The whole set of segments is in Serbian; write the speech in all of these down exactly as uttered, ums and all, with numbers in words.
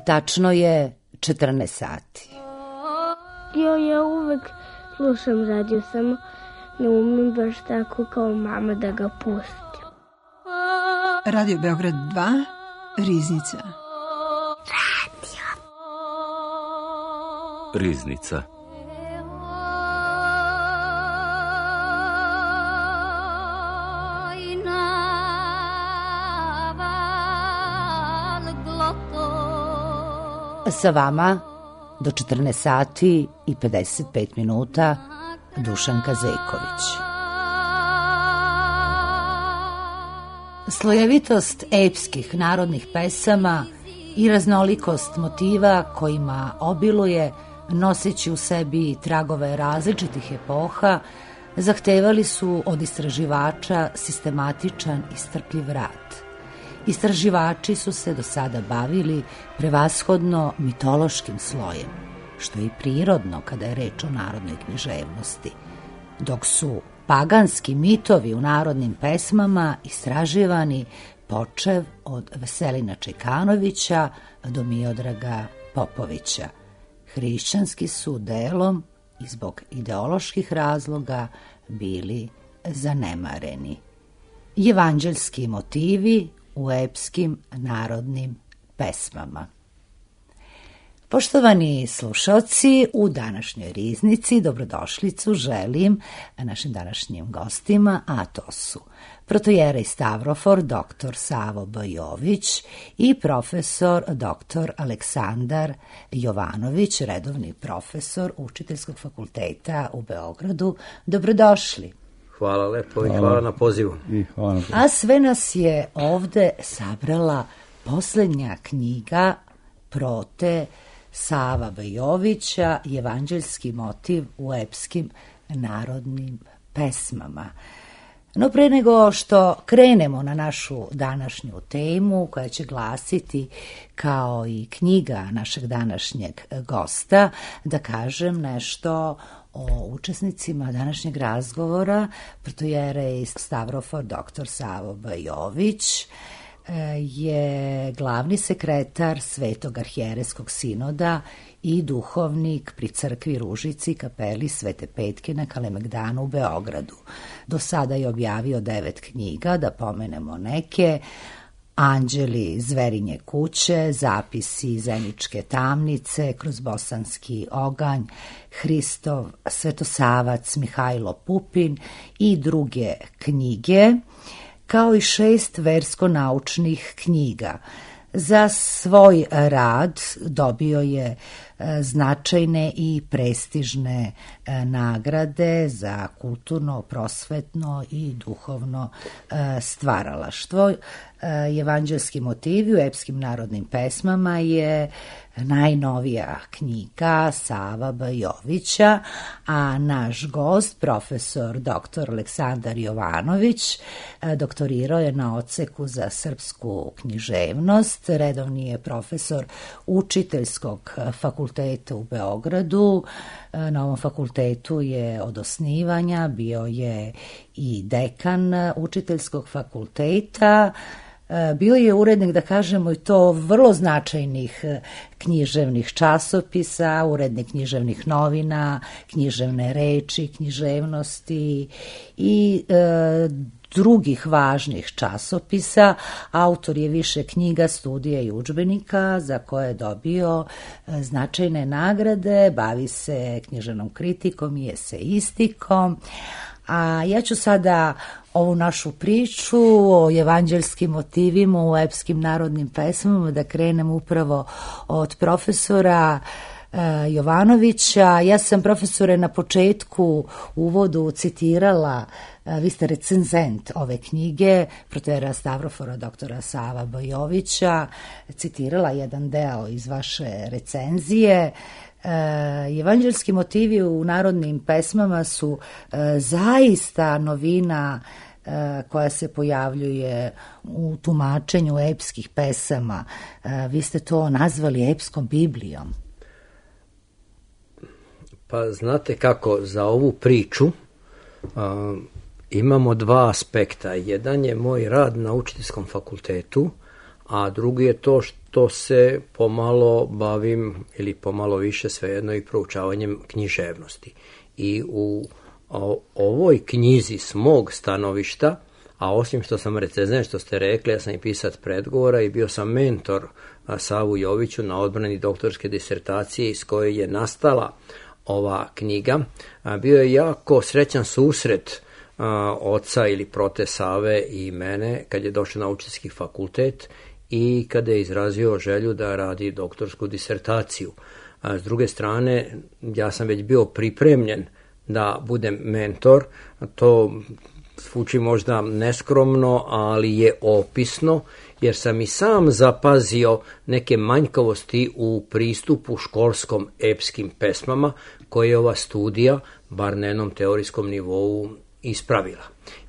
tačno je četrnaest sati. Jo, ja uvek slušam radio, samo ne umem baš tako kao mama da ga pustim. Radio Beograd dva, Riznica. Radio. Riznica. Sa vama do četrnaest sati i pedeset pet minuta Dušanka Zejković. Slojevitost epskih narodnih pesama i raznolikost motiva kojima obiluje, noseći u sebi tragove različitih epoha, zahtevali su od istraživača sistematičan i strpljiv rad. Istraživači su se do sada bavili prevashodno mitološkim slojem, što je i prirodno kada je reč o narodnoj književnosti, dok su paganski mitovi u narodnim pesmama istraživani počev od Veselina Čekanovića do Miodraga Popovića. Hrišćanski su delom i zbog ideoloških razloga bili zanemareni. Evanđeljski motivi u epskim narodnim pesmama. Poštovani slušaoci, u današnjoj Riznici dobrodošlicu želim našim današnjim gostima, a to su protojerej Stavrofor doktor Savo B. Jović i profesor doktor Aleksandar Jovanović, redovni profesor Učiteljskog fakulteta u Beogradu. Dobrodošli. Hvala lepo i hvala, hvala na pozivu. I hvala na pozivu. A sve nas je ovde sabrala poslednja knjiga Prote Sava B. Jovića, Evanđeljski motiv u epskim narodnim pesmama. No pre nego što krenemo na našu današnju temu, koja će glasiti kao i knjiga našeg današnjeg gosta, da kažem nešto o učesnicima današnjeg razgovora. Protojerej Stavrofor doktor Savo B. Jović je glavni sekretar Svetog arhijerejskog sinoda i duhovnik pri crkvi Ružici kapeli Svete Petke na Kalemegdanu u Beogradu. Do sada je objavio devet knjiga, da pomenemo neke: Anđeli Zverinje kuće, Zapisi Zeničke tamnice, Kroz bosanski oganj, Hristov Svetosavac Mihajlo Pupin i druge knjige, kao i šest versko-naučnih knjiga. Za svoj rad dobio je značajne i prestižne nagrade za kulturno, prosvetno i duhovno stvaralaštvo. Evanđeljski motivi u epskim narodnim pesmama je najnovija knjiga Sava B. Jovića, a naš gost, profesor doktor Aleksandar Jovanović, doktorirao je na odseku za srpsku književnost, redovni je profesor Učiteljskog fakulteta u Beogradu. Na ovom fakultetu je od osnivanja, bio je i dekan Učiteljskog fakulteta. Bio je urednik, da kažemo, i to vrlo značajnih književnih časopisa, urednik književnih novina, književne reči, književnosti i e, drugih važnih časopisa. Autor je više knjiga, studija i udžbenika za koje je dobio značajne nagrade, bavi se književnom kritikom i eseistikom. A ja ću sada ovu našu priču o evanđeljskim motivima u epskim narodnim pesmama da krenem upravo od profesora e, Jovanovića. Ja sam, profesore, na početku uvodu citirala, e, vi ste recenzent ove knjige, protojereja Stavrofora doktora Sava B. Jovića, citirala jedan deo iz vaše recenzije. E, evanđeljski motivi u narodnim pesmama su e, zaista novina e, koja se pojavljuje u tumačenju epskih pesama. E, vi ste to nazvali epskom Biblijom. Pa znate kako, za ovu priču a, imamo dva aspekta. Jedan je moj rad na Učiteljskom fakultetu, a drugi je to što se pomalo bavim, ili pomalo više svejedno, i proučavanjem književnosti. I u o, ovoj knjizi s mog stanovišta, a osim što sam recenzent, što ste rekli, ja sam i pisac predgovora i bio sam mentor Savu Joviću na odbrani doktorske disertacije iz koje je nastala ova knjiga. Bio je jako srećan susret oca ili prote Save i mene kad je došao na učiteljski fakultet i kada je izrazio želju da radi doktorsku disertaciju. S druge strane, ja sam već bio pripremljen da budem mentor. To zvuči možda neskromno, ali je opisno, jer sam i sam zapazio neke manjkavosti u pristupu školskom epskim pesmama koje je ova studija, bar na jednom teorijskom nivou, ispravila.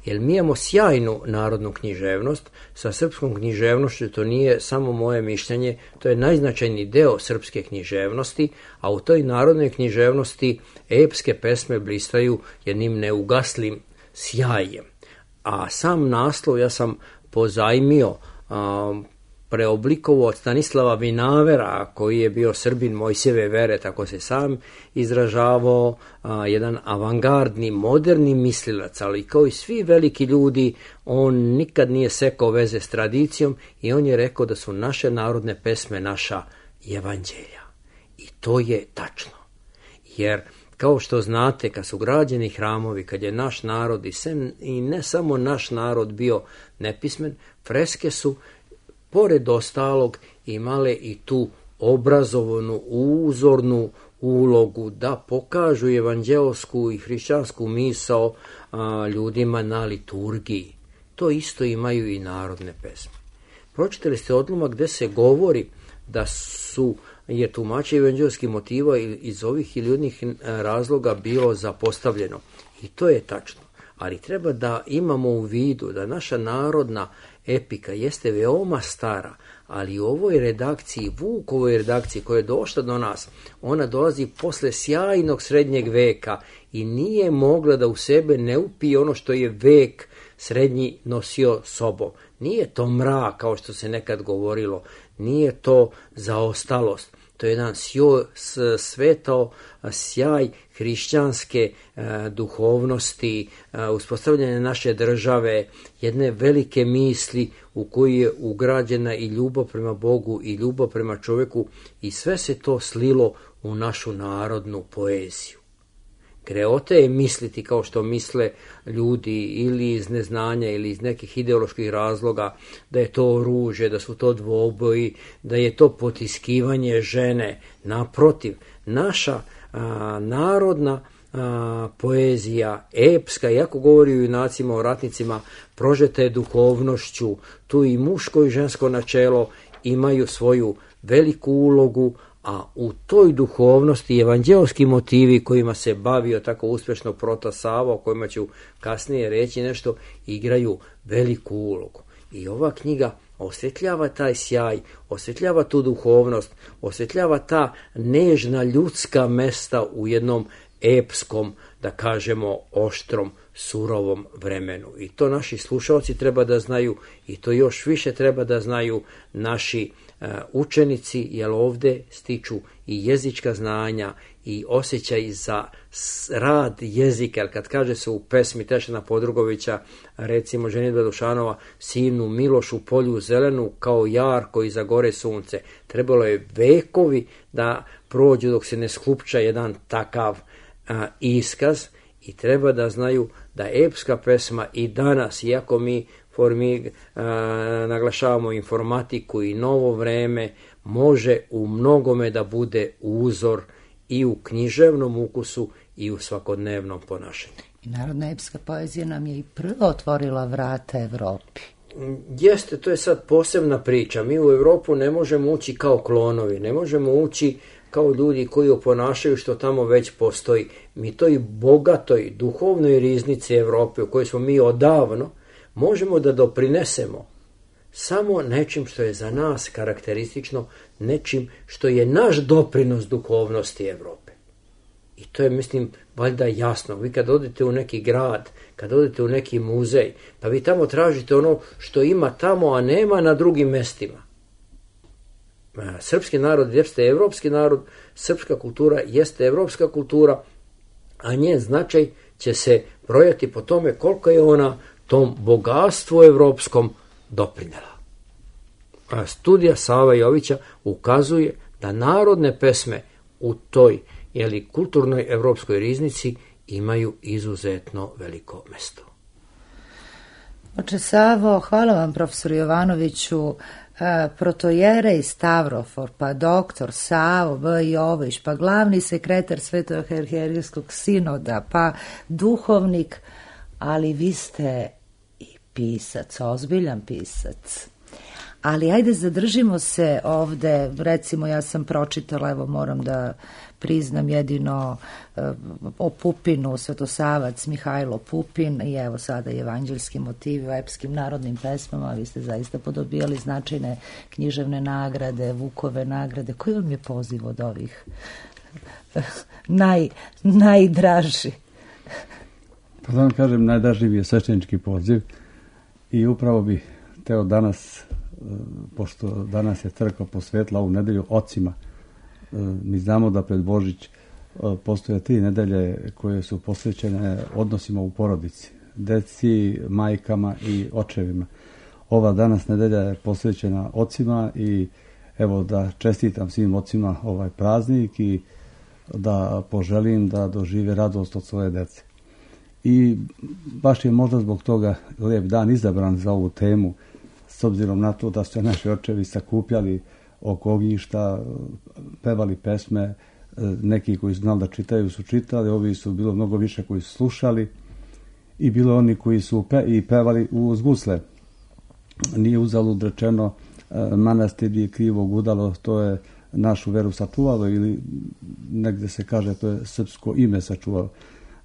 Jer mi imamo sjajnu narodnu književnost. Sa srpskom književnošću, to nije samo moje mišljenje, to je najznačajniji deo srpske književnosti, a u toj narodnoj književnosti epske pesme blistaju jednim neugaslim sjajem. A sam naslov ja sam pozajmio, a, preoblikovao od Stanislava Vinavera, koji je bio Srbin Mojsijeve vere, tako se sam izražavao, a, jedan avangardni, moderni mislilac, ali kao i svi veliki ljudi, on nikad nije sekao veze s tradicijom i on je rekao da su naše narodne pesme naša evanđelja. I to je tačno. Jer kao što znate, kad su građeni hramovi, kad je naš narod i, sem, i ne samo naš narod bio nepismen, freske su pored ostalog imale i tu obrazovanu, uzornu ulogu da pokažu evanđeosku i hrišćansku misao a, ljudima na liturgiji. To isto imaju i narodne pesme. Pročitali ste odlomak gde se govori da su je tumačenje evanđelskih motiva iz ovih ili onih razloga bilo zapostavljeno. I to je tačno. Ali treba da imamo u vidu da naša narodna epika jeste veoma stara, ali u ovoj redakciji, Vukovoj redakciji koja je došla do nas, ona dolazi posle sjajnog srednjeg veka i nije mogla da u sebe ne upije ono što je vek srednji nosio sobom. Nije to mrak, kao što se nekad govorilo, nije to zaostalost. To je jedan sjoj, svetao sjaj hrišćanske e, duhovnosti, e, uspostavljanje naše države, jedne velike misli u koju je ugrađena i ljubav prema Bogu i ljubav prema čovjeku i sve se to slilo u našu narodnu poeziju. Greota je misliti kao što misle ljudi ili iz neznanja ili iz nekih ideoloških razloga da je to oružje, da su to dvoboji, da je to potiskivanje žene. Naprotiv, naša a, narodna a, poezija, epska, iako govori o junacima, o ratnicima, prožeta je duhovnošću, tu i muško i žensko načelo imaju svoju veliku ulogu, a u toj duhovnosti evanđelski motivi kojima se bavio tako uspješno prota Sava, o kojima ću kasnije reći nešto, igraju veliku ulogu. I ova knjiga osvetljava taj sjaj, osvetljava tu duhovnost, osvetljava ta nežna ljudska mesta u jednom epskom, da kažemo, oštrom, surovom vremenu. I to naši slušalci treba da znaju i to još više treba da znaju naši uh, učenici, jer ovdje stiču i jezička znanja i osjećaj za rad jezika. Jer kad kaže se u pesmi Tešana Podrugovića, recimo Ženidba Dušanova, sinu Milošu polju zelenu kao jar koji zagore sunce. Trebalo je vekovi da prođu dok se ne sklupča jedan takav a, iskaz i treba da znaju da epska pesma i danas, iako mi formi, a, naglašavamo informatiku i novo vreme, može u mnogome da bude uzor i u književnom ukusu i u svakodnevnom ponašanju. I narodna epska poezija nam je i prva otvorila vrata Evropi. Jeste, to je sad posebna priča. Mi u Evropu ne možemo ući kao klonovi, ne možemo ući kao ljudi koji oponašaju što tamo već postoji. Mi toj bogatoj duhovnoj riznici Evrope u kojoj smo mi odavno možemo da doprinesemo samo nečim što je za nas karakteristično, nečim što je naš doprinos duhovnosti Evrope. I to je, mislim, valjda jasno. Vi kad odete u neki grad, kad odete u neki muzej, pa vi tamo tražite ono što ima tamo, a nema na drugim mestima. Srpski narod jeste evropski narod, srpska kultura jeste evropska kultura, a njen značaj će se brojati po tome koliko je ona tom bogatstvu evropskom doprinela. A studija Sava Jovića ukazuje da narodne pesme u toj jeli, kulturnoj evropskoj riznici imaju izuzetno veliko mesto. Oče Savo, hvala vam profesoru Jovanoviću. Protojerej Stavrofor, pa doktor Savo B. Jović, pa glavni sekretar Svetog arhijerejskog sinoda, pa duhovnik, ali vi ste i pisac, ozbiljan pisac. Ali ajde zadržimo se ovde, recimo ja sam pročitala, evo moram da priznam jedino uh, o Pupinu, Svetosavac Mihajlo Pupin i evo sada evanđeljski motivi u epskim narodnim pesmama, vi ste zaista podobijali značajne književne nagrade, Vukove nagrade. Koji vam je poziv od ovih Naj, najdraži? Pa da vam kažem, najdraži mi je sveštenički poziv i upravo bi teo danas, pošto danas je crkva posvetila ovu nedelju ocima, mi znamo da pred Božić postoje tri nedelje koje su posvećene odnosima u porodici, deci, majkama i očevima. Ova danas nedelja je posvećena ocima i evo da čestitam svim ocima ovaj praznik i da poželim da dožive radost od svoje dece. I baš je možda zbog toga lijep dan izabran za ovu temu, s obzirom na to da su naši očevi sakupljali oko ognjišta, pevali pesme, neki koji su znali da čitaju su čitali, ovi su bilo mnogo više koji su slušali i bilo oni koji su pe, i pevali uz gusle. Nije uzalud rečeno manastir je krivo gudalo, to je našu veru sačuvalo ili negdje se kaže to je srpsko ime sačuvalo.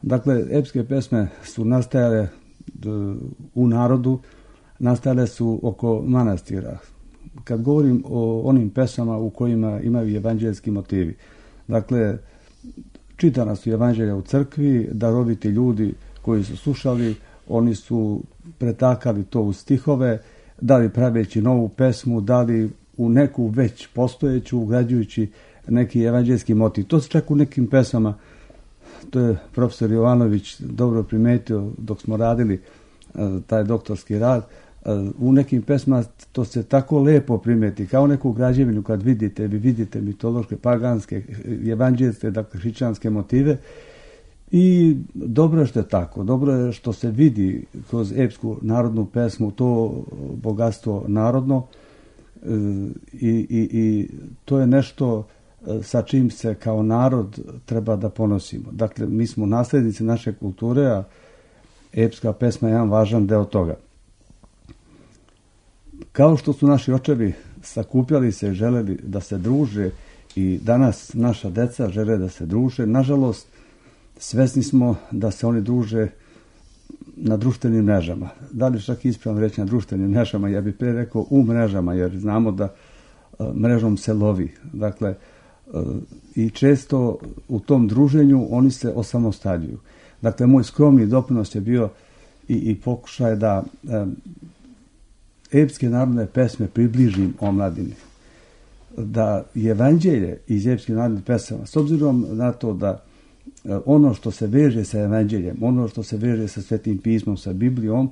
Dakle, epske pesme su nastajale u narodu, nastajale su oko manastira. Kad govorim o onim pesama u kojima imaju evanđeljski motivi, dakle, čitana su evanđelja u crkvi, daroviti ljudi koji su slušali, oni su pretakali to u stihove, da li praveći novu pesmu, da li u neku već postojeću, ugrađujući neki evanđeljski motiv. To se čak u nekim pesama, to je profesor Jovanović dobro primetio dok smo radili taj doktorski rad, u nekim pesmama to se tako lepo primeti, kao neku građevinu kad vidite, vi vidite mitološke, paganske, evanđeljske, dakle hrišćanske motive i dobro je što je tako, dobro je što se vidi kroz epsku narodnu pesmu to bogatstvo narodno i, i, i to je nešto sa čim se kao narod treba da ponosimo. Dakle, mi smo naslednici naše kulture, a epska pesma je jedan važan deo toga. Kao što su naši očevi sakupljali se i želeli da se druže i danas naša deca žele da se druže, nažalost svesni smo da se oni druže na društvenim mrežama. Da li čak ispravno reći na društvenim mrežama, ja bih pre rekao u mrežama, jer znamo da uh, mrežom se lovi. Dakle, uh, i često u tom druženju oni se osamostaljuju. Dakle, moj skromni doprinos je bio i, i pokušaj da um, epske narodne pesme približim omladini. Da evanđelje iz epskih narodnih pesama, s obzirom na to da ono što se veže sa evanđeljem, ono što se veže sa Svetim pismom, sa Biblijom,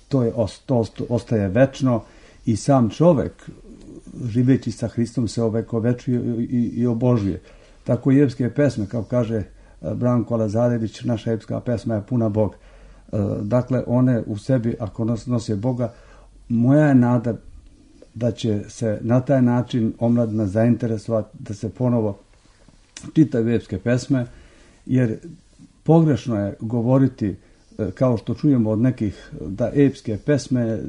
to, je, to ostaje večno i sam čovek, živeći sa Hristom, se ovekovečuje i, i obožuje. Tako i epske pesme, kao kaže Branko Lazarević, naša epska pesma je puna Boga. Dakle, one u sebi, ako nose Boga, moja je nada da će se na taj način omladina zainteresovati da se ponovo čitaju epske pesme, jer pogrešno je govoriti, kao što čujemo od nekih, da epske pesme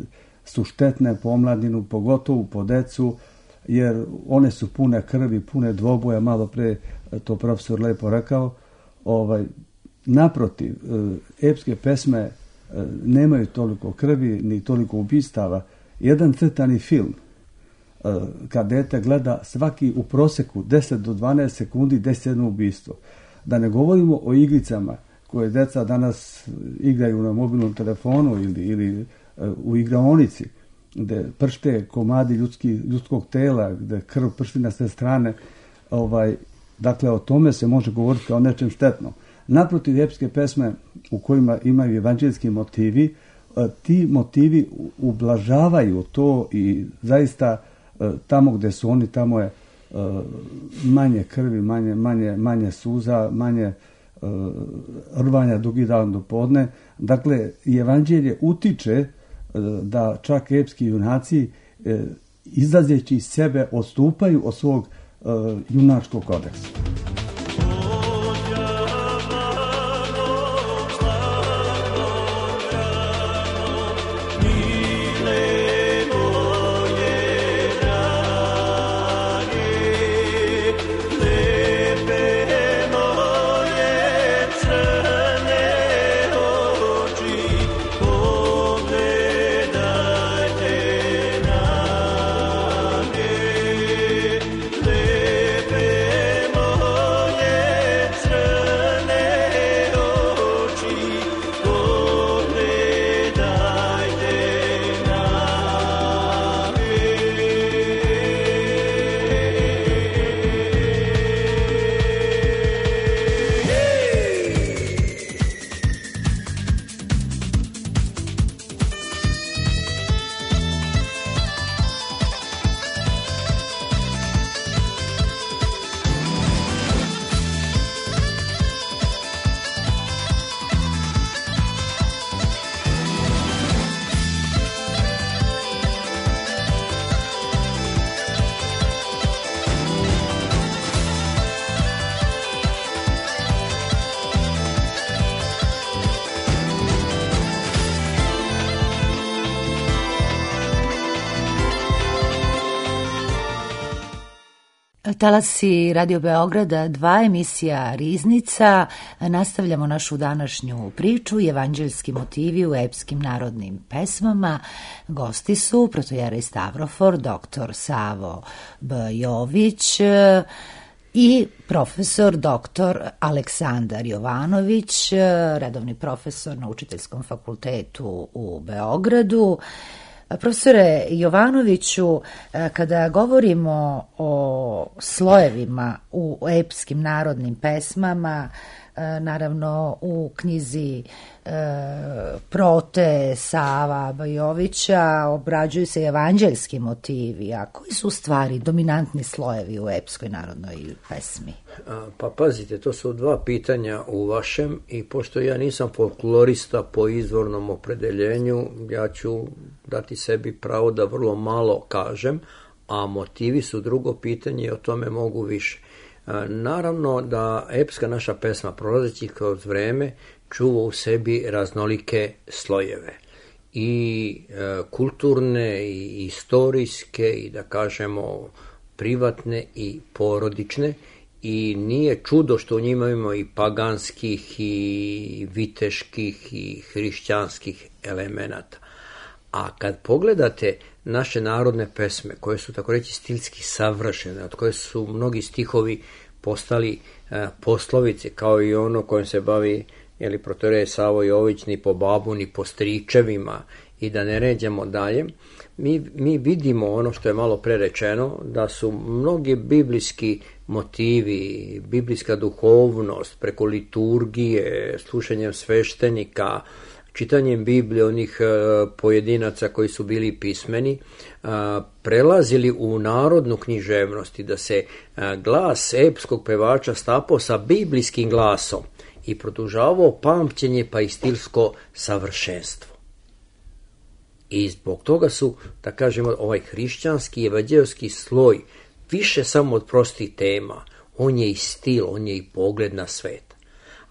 su štetne po omladinu, pogotovo po decu, jer one su pune krvi, pune dvoboja, malo pre to profesor lepo rekao. Ovaj, naprotiv, epske pesme nemaju toliko krvi, ni toliko ubistava. Jedan crtani film, kad dete gleda svaki u proseku deset do dvanaest sekundi deset jedno ubistvo. Da ne govorimo o igricama koje deca danas igraju na mobilnom telefonu ili, ili u igraonici. gde pršte komadi ljudski, ljudskog tela, gde krv pršti na sve strane, ovaj, dakle o tome se može govoriti kao nečem štetno. Naprotiv, epske pesme u kojima imaju evanđeljski motivi, ti motivi ublažavaju to i zaista tamo gde su oni, tamo je manje krvi, manje, manje, manje suza, manje rvanja dugi dan do podne. Dakle, i evanđelje utiče da čak epski junaci izlazeći iz sebe odstupaju od svog junačkog kodeksa. Talasi Radio Beograda, dva, emisija Riznica. Nastavljamo našu današnju priču, evanđeljski motivi u epskim narodnim pesmama. Gosti su protojerej Stavrofor, doktor Savo B. Jović i profesor doktor Aleksandar Jovanović, redovni profesor na Učiteljskom fakultetu u Beogradu. Profesore Jovanoviću, kada govorimo o slojevima u epskim narodnim pesmama, naravno u knjizi e, Prote Sava Bajovića obrađuju se evanđeljski motivi, a koji su u stvari dominantni slojevi u epskoj narodnoj pesmi? Pa pazite, to su dva pitanja u vašem i pošto ja nisam folklorista po izvornom opredeljenju, ja ću dati sebi pravo da vrlo malo kažem, a motivi su drugo pitanje i o tome mogu više. Naravno da epska naša pesma prolazeći kroz vreme čuva u sebi raznolike slojeve i e, kulturne i istorijske i da kažemo privatne i porodične i nije čudo što u njima imamo i paganskih i viteških i hrišćanskih elemenata. A kad pogledate naše narodne pesme, koje su tako reći stilski savršene, od koje su mnogi stihovi postali e, poslovice, kao i ono kojim se bavi jeli, protojerej Savo Jović, ni po babu, ni po stričevima, i da ne ređemo dalje, mi, mi vidimo ono što je malo pre rečeno, da su mnogi biblijski motivi, biblijska duhovnost, preko liturgije, slušanjem sveštenika, čitanjem Biblije onih pojedinaca koji su bili pismeni, prelazili u narodnu književnost i da se glas epskog pevača stapao sa biblijskim glasom i produžavao pamćenje pa i stilsko savršenstvo. I zbog toga su, da kažemo, ovaj hrišćanski i evanđeljski sloj više samo od prostih tema, on je i stil, on je i pogled na svet.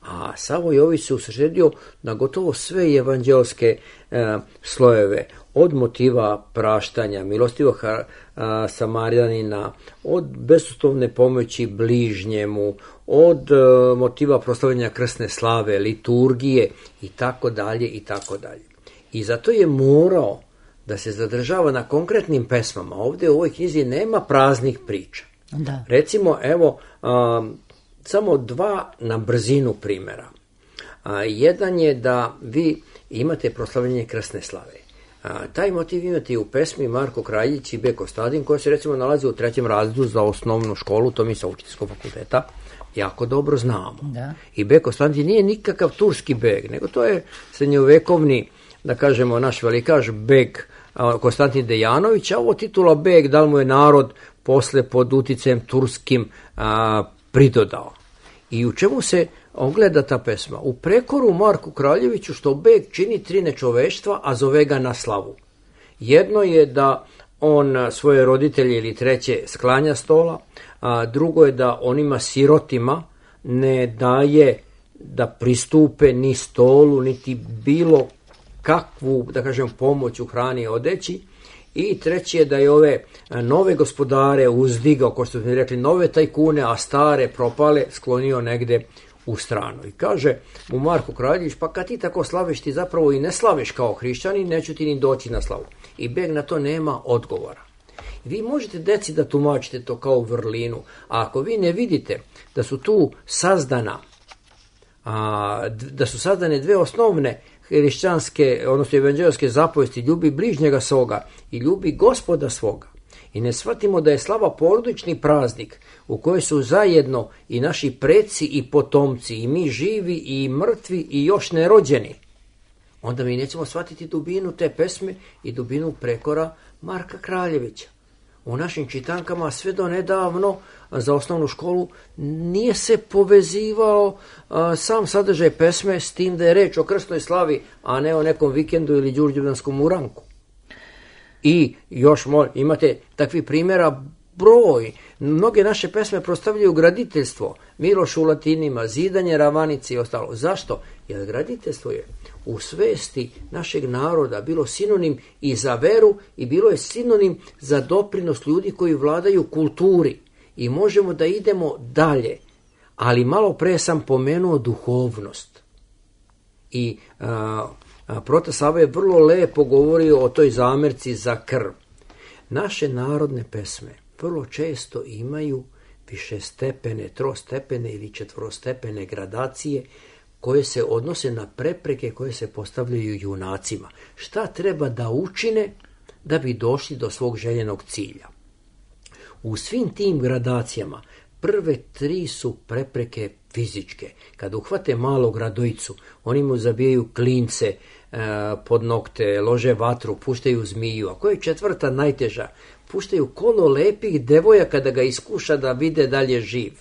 A Savo Jović se usredio na gotovo sve evanđeljske e, slojeve, od motiva praštanja, milostivog e, Samarijanina, od bezuslovne pomoći bližnjemu, od e, motiva proslavljanja krsne slave, liturgije i tako dalje i tako dalje. I zato je morao da se zadržava na konkretnim pesmama. Ovdje u ovoj knjizi nema praznih priča. Da. Recimo, evo, a, samo dva na brzinu primjera. A, jedan je da vi imate proslavljanje krsne slave. A, taj motiv imate i u pesmi Marko Kraljić i B. Kostadin, koja se recimo nalazi u trećem razredu za osnovnu školu, to mi sa učiteljskog fakulteta jako dobro znamo. Da. I B. Kostadin nije nikakav turski beg, nego to je srednjovekovni, da kažemo, naš velikaš beg Konstantin Dejanović, a ovo titula beg, da li mu je narod posle pod uticajem turskim a, pridodao. I u čemu se ogleda ta pesma? U prekoru Marku Kraljeviću što beg čini tri nečoveštva, a zove ga na slavu. Jedno je da on svoje roditelje ili treće sklanja stola, a drugo je da onima sirotima ne daje da pristupe ni stolu, niti bilo kakvu, da kažem, pomoć u hrani i odeći. I treće je da je ove nove gospodare uzdigao, kao što smo rekli, nove tajkune, a stare propale sklonio negde u stranu. I kaže mu Marko Kraljević, pa kad ti tako slaviš, ti zapravo i ne slaviš kao hrišćanin, neću ti ni doći na slavu. I beg na to nema odgovora. Vi možete deci da tumačite to kao vrlinu, a ako vi ne vidite da su tu sazdana, a, da su sazdane dve osnovne hrišćanske, odnosno evanđelske zapovesti, ljubi bližnjega svoga i ljubi Gospoda svoga, i ne shvatimo da je slava porodični praznik u kojoj su zajedno i naši preci i potomci, i mi živi i mrtvi i još nerođeni, onda mi nećemo shvatiti dubinu te pesme i dubinu prekora Marka Kraljevića. U našim čitankama sve do nedavno za osnovnu školu nije se povezivao a, sam sadržaj pesme s tim da je reč o krstnoj slavi, a ne o nekom vikendu ili đurđevdanskom uranku. I još mo, imate takvi primjera broj. Mnoge naše pesme prostavljaju graditeljstvo, Miloš u latinima, zidanje ravanice i ostalo. Zašto? Jer graditeljstvo je u svesti našeg naroda bilo sinonim i za veru i bilo je sinonim za doprinos ljudi koji vladaju kulturi. I možemo da idemo dalje, ali malo pre sam pomenuo duhovnost. I a, a, Prota Sava je vrlo lepo govorio o toj zamerci za krv. Naše narodne pesme vrlo često imaju višestepene, trostepene ili četvorostepene gradacije koje se odnose na prepreke koje se postavljaju junacima. Šta treba da učine da bi došli do svog željenog cilja? U svim tim gradacijama prve tri su prepreke fizičke. Kad uhvate malog Radojicu, oni mu zabijaju klince e, pod nokte, lože vatru, puštaju zmiju. A koja je četvrta najteža? Puštaju kolo lepih devojaka da ga iskuša da vide dalje živ.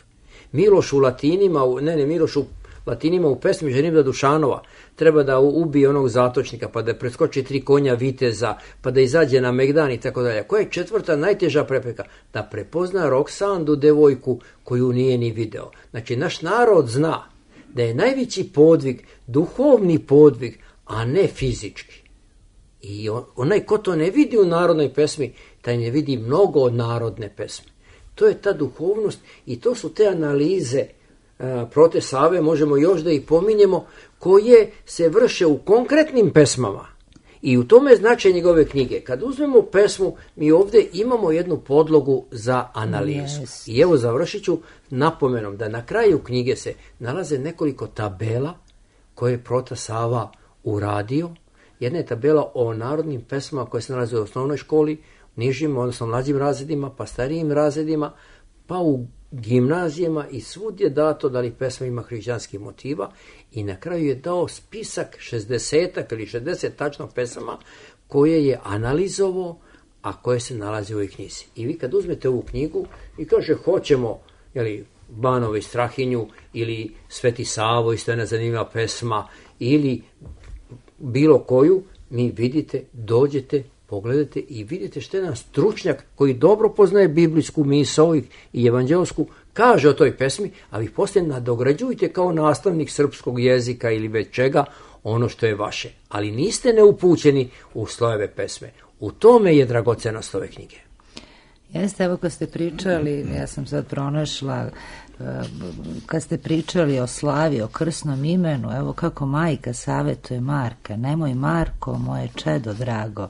Miloš u latinima, ne ne, Miloš u latinima u pesmi Ženibda Dušanova treba da ubije onog zatočnika, pa da preskoči tri konja viteza, pa da izađe na megdan i tako dalje. Koja je četvrta najteža prepreka? Da prepozna Roksandu, devojku koju nije ni video. Znači, naš narod zna da je najveći podvig duhovni podvig, a ne fizički. I onaj ko to ne vidi u narodnoj pesmi, taj ne vidi mnogo od narodne pesme. To je ta duhovnost i to su te analize Prote Save, možemo još da ih pominjemo, koje se vrše u konkretnim pesmama. I u tome značaj njegove knjige. Kad uzmemo pesmu, mi ovdje imamo jednu podlogu za analizu. Yes. I evo završit ću napomenom da na kraju knjige se nalaze nekoliko tabela koje je Prota Sava uradio. Jedna je tabela o narodnim pesmama koje se nalaze u osnovnoj školi, nižim, odnosno mlađim razredima, pa starijim razredima, pa u gimnazijama, i svud je dato da li pesma ima hrišćanskih motiva, i na kraju je dao spisak šezdesetak ili šezdeset tačno pesama koje je analizovao, a koje se nalaze u ovoj knjizi. I vi kad uzmete ovu knjigu i kaže hoćemo, jeli, Banovo i Strahinju ili Sveti Savo, isto je nezanimljiva pesma, ili bilo koju, mi vidite, dođete, pogledajte i vidite što je jedan stručnjak koji dobro poznaje biblijsku misao i evanđelsku kaže o toj pesmi, a vi poslije nadograđujte kao nastavnik srpskog jezika ili već čega ono što je vaše. Ali niste neupućeni u slojeve pesme. U tome je dragocenost ove knjige. Jeste, evo kad ste pričali, ja sam sad pronašla, kad ste pričali o slavi, o krsnom imenu, evo kako majka savjetuje Marka: nemoj Marko, moje čedo drago,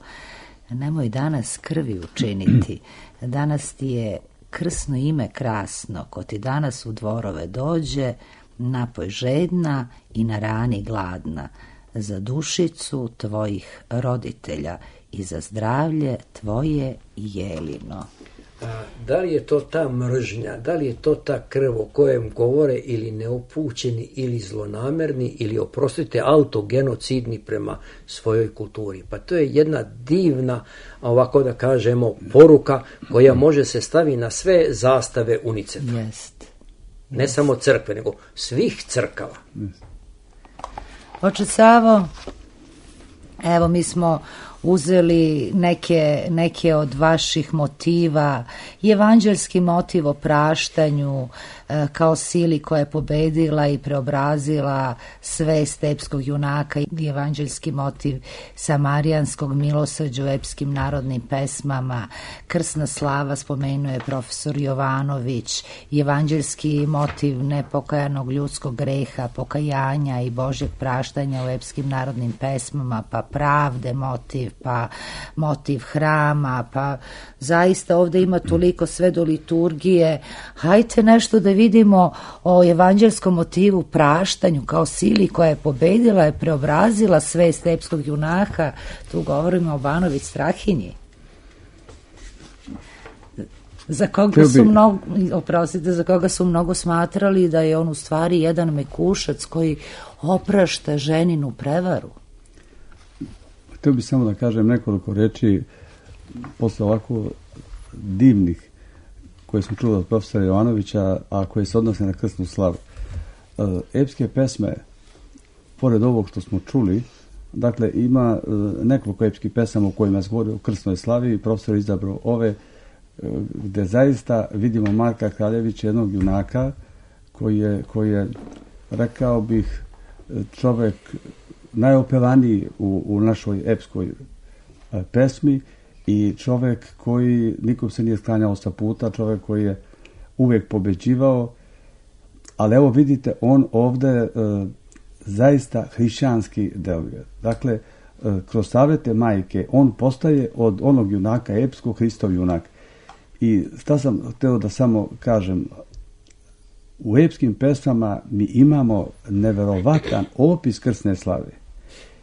nemoj danas krvi učiniti, danas ti je krsno ime krasno, ko ti danas u dvorove dođe, napoj žedna i na rani gladna, za dušicu tvojih roditelja i za zdravlje tvoje i Jelino. A, da li je to ta mržnja, da li je to ta krv o kojem govore ili neupućeni ili zlonamerni ili, oprostite, autogenocidni prema svojoj kulturi? Pa to je jedna divna, ovako da kažemo, poruka koja može se stavi na sve zastave UNICEF-a. Jest. Ne Jest. samo crkve, nego svih crkava. Oče Savo, evo mi smo uzeli neke, neke od vaših motiva, evanđelski motiv o praštanju e, kao sili koja je pobedila i preobrazila svest epskog junaka, i evanđelski motiv samarijanskog milosrđa u epskim narodnim pesmama, krsna slava spomenuje profesor Jovanović, evanđelski motiv nepokajanog ljudskog greha, pokajanja i Božjeg praštanja u epskim narodnim pesmama, pa pravde motiv, pa motiv hrama, pa zaista ovde ima toliko sve do liturgije. Hajte nešto da vidimo o evanđelskom motivu praštanju kao sili koja je pobedila i preobrazila svest epskog junaka. Tu govorimo o Banović Strahinji, za koga su mnogo, oprostite, za koga su mnogo smatrali da je on u stvari jedan mekušac koji oprašta ženinu prevaru. Htio bih samo da kažem nekoliko reči posle ovako divnih koje smo čuli od profesora Jovanovića, a koje se odnose na krsnu slavu. Epske pesme, pored ovog što smo čuli, dakle ima nekoliko epskih pesama u kojima se govori o krsnoj slavi i profesor izabrao ove gde zaista vidimo Marka Kraljevića, jednog junaka koji je, koji je, rekao bih, čovek najopevaniji u, u našoj epskoj pesmi i čovek koji nikom se nije sklanjao sa puta, čovek koji je uvek pobeđivao, ali evo vidite, on ovde e, zaista hrišćanski deluje. Dakle, e, kroz savete majke on postaje od onog junaka epskog Hristov junak. I šta sam hteo da samo kažem, u epskim pesmama mi imamo neverovatan opis krsne slave.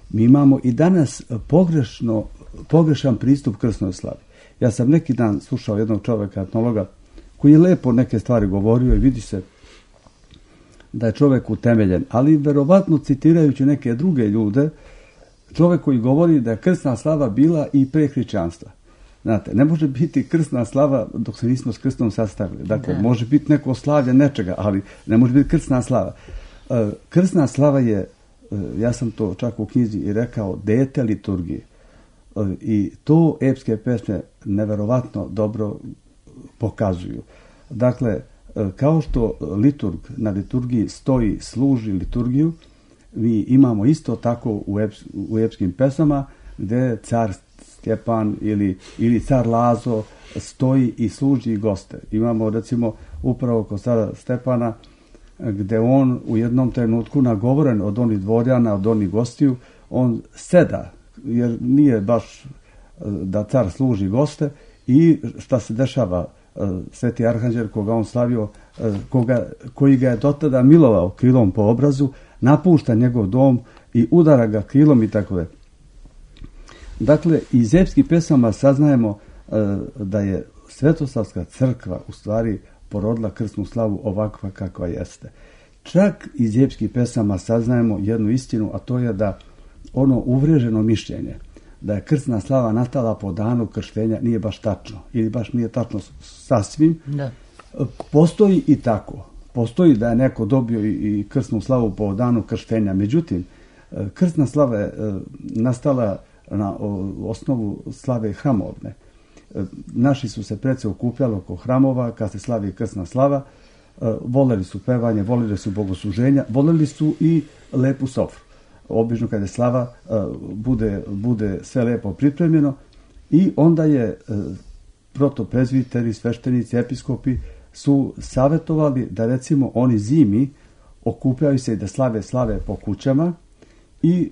Mi imamo i danas pogrešno, pogrešan pristup krsnoj slavi. Ja sam neki dan slušao jednog čoveka, etnologa, koji je lepo neke stvari govorio i vidi se da je čovek utemeljen, ali verovatno citirajući neke druge ljude, čovek koji govori da je krsna slava bila i pre hrišćanstva. Znate, ne može biti krsna slava dok se nismo s krstom sastavili. Dakle, da. Može biti neko slavlje nečega, ali ne može biti krsna slava. Krsna slava je, ja sam to čak u knjizi i rekao, dete liturgije. I to epske pesme neverovatno dobro pokazuju. Dakle, kao što liturg na liturgiji stoji, služi liturgiju, mi imamo isto tako u, eps, u epskim pesama gde car Stjepan ili, ili car Lazo stoji i služi goste. Imamo recimo upravo kod cara Stepana gde on u jednom trenutku nagovoren od onih dvorjana, od onih gostiju, on seda, jer nije baš da car služi goste, i šta se dešava, Sveti Arhanđel koga on slavio, koga, koji ga je dotada milovao krilom po obrazu, napušta njegov dom i udara ga krilom i tako da. Dakle, iz epskih pesama saznajemo da je Svetosavska crkva u stvari porodila krsnu slavu ovakva kakva jeste. Čak iz epskih pesama saznajemo jednu istinu, a to je da ono uvreženo mišljenje da je krsna slava nastala po danu krštenja nije baš tačno, ili baš nije tačno sasvim. Da. Postoji i tako. Postoji da je neko dobio i krsnu slavu po danu krštenja. Međutim, krsna slava je nastala na osnovu slave hramovne. Naši su se prece okupljali oko hramova kad se slavi krsna slava, voleli su pevanje, voleli su bogosluženja, voleli su i lepu sofru. Obično kada je slava bude, bude sve lepo pripremljeno i onda je protoprezviteri, sveštenici, episkopi su savjetovali da recimo oni zimi okupljaju se i da slave slave po kućama i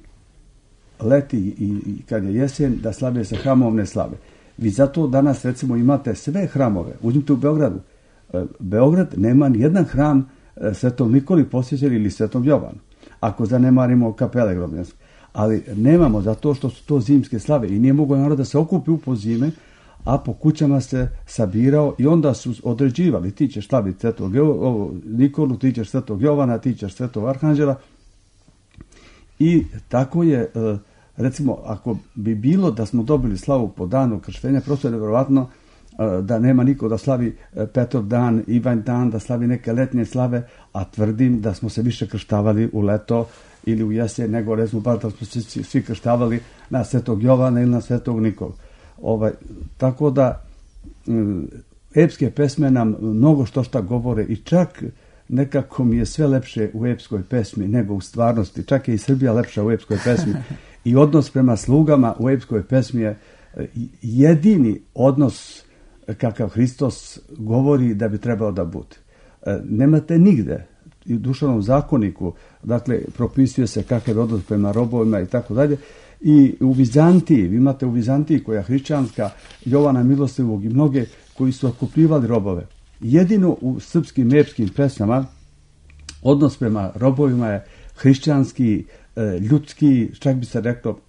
leti i, i kad je jesen da slave se hramovne slave. Vi zato danas recimo imate sve hramove. Uzmite u Beogradu. Beograd nema ni jedan hram Svetom Nikoli posvećen ili Svetom Jovanu. Ako zanemarimo kapele grobljanske. ali nemamo zato što su to zimske slave i nije mogao narod da se okupi u pozime, a po kućama se sabirao i onda su određivali, ti ćeš slaviti Svetog Nikolu, ti ćeš Svetog Jovana, ti ćeš Svetog Arhanđela. I tako je, recimo, ako bi bilo da smo dobili slavu po danu krštenja, prosto je nevjerovatno da nema niko da slavi Petrov dan, Ivan dan, da slavi neke letnje slave, a tvrdim da smo se više krštavali u leto ili u jesen, nego recimo bar da smo se svi krštavali na Svetog Jovana ili na Svetog Nikolu. Ovaj, tako da epske pesme nam mnogo što šta govore i čak nekako mi je sve lepše u epskoj pesmi nego u stvarnosti. Čak je i Srbija lepša u epskoj pesmi. I odnos prema slugama u epskoj pesmi je jedini odnos kakav Hristos govori da bi trebao da bude. Nemate nigde i u duševnom zakoniku, dakle, propisuje se kakav je odnos prema robovima i tako dalje. I u Vizantiji, vi imate u Vizantiji koja je hrišćanska, Jovana Milostivog i mnoge koji su otkupljivali robove. Jedino u srpskim epskim pesmama odnos prema robovima je hrišćanski, ljudski, čak bi se reklo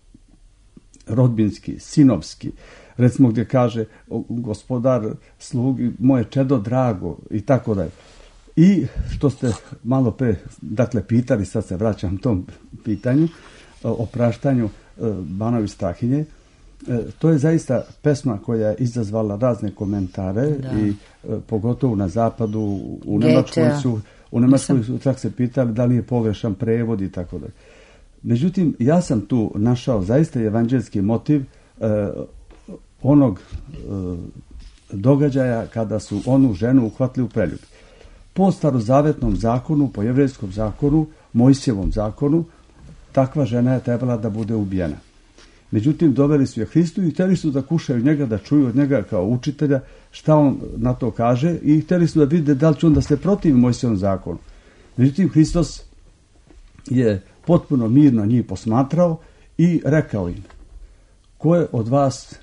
rodbinski, sinovski. Recimo gdje kaže gospodar slugi, moje čedo drago i tako dalje. I što ste malo pre, dakle, pitali, sad se vraćam tom pitanju, o praštanju Banovi Strahinje. To je zaista pesma koja je izazvala razne komentare da. I pogotovo na zapadu, u Nemačkoj su, u Nemačkoj su čak se pitali da li je pogrešan prevod i tako dalje. Međutim, ja sam tu našao zaista evanđelski motiv eh, onog eh, događaja kada su onu ženu uhvatili u preljubi. Po starozavetnom zakonu, po jevrejskom zakonu, Mojsijevom zakonu, takva žena je trebala da bude ubijena. Međutim, doveli su je Hristu i htjeli su da kušaju njega, da čuju od njega kao učitelja šta on na to kaže i htjeli su da vide da li će on da se protivi Mojsijevom zakonu. Međutim, Hristos je potpuno mirno njih posmatrao i rekao im: ko je od vas